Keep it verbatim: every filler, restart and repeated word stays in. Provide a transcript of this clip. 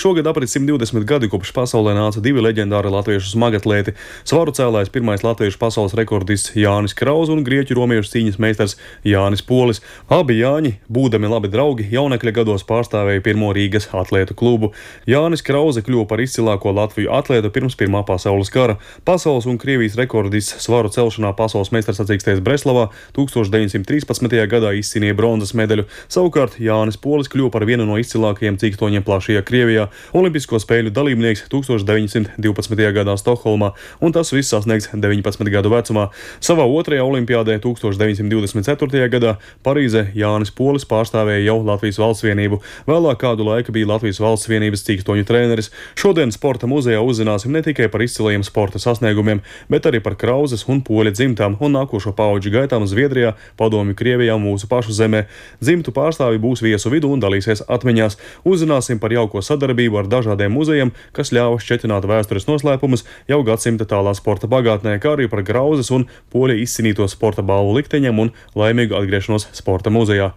Šogad aprit simt divdesmit gadi, kopš pasaulē nāca divi leģendāri latviešu smagatlēti - svaru cēlājs pirmais latviešu pasaules rekordists Jānis Krause un grieķu romiešu cīņas meistars Jānis Polis. Abi Jāņi, būdami labi draugi, jaunekļa gados pārstāvēja pirmo Rīgas atlētu klubu. Jānis Krause kļuva par izcilāko Latviju atlētu pirms Pirmā pasaules kara. Pasaules un Krievijas rekordists svaru celšanā pasaules meistars sacīkstēs Breslavā tūkstoš deviņsimt trīspadsmitajā gadā izcīnīja bronzas medaļu. Savukārt Jānis Polis kļuva par vienu no izcilākajiem cīkstoņiem plašajā Krievijā, olimpisko spēļu dalībnieks tūkstoš deviņsimt divpadsmitajā gadā Stokholmā, un tas viss sasniegts deviņpadsmit gadu vecumā. Savā otrajā olimpiādē tūkstoš deviņsimt divdesmit ceturtajā gadā Parīzē Jānis Polis pārstāvēja jau Latvijas valsts vienību. Vēlāk kādu laiku bija Latvijas valsts vienības cīkstoņu treneris. Šodien sporta muzejā uzzināsim ne tikai par izcilajiem sporta sasniegumiem, bet arī par Krauzes un Poļa dzimtām un nākošo paudžu gaitām Zviedrijā, Padomju Krievijā un mūsu pašu zemē. Dzimtu pārstāvi būs viesu vidū un dalīsies atmiņās. Uzzināsim par jauko sadarbību ar dažādiem muzejiem, kas ļāva šķetināt vēstures noslēpumus jau gadsimta tālā sporta bagātnē, kā arī par Krauzes un Poļa izcīnīto sporta balvu likteņiem un laimīgu atgriešanos sporta muzejā.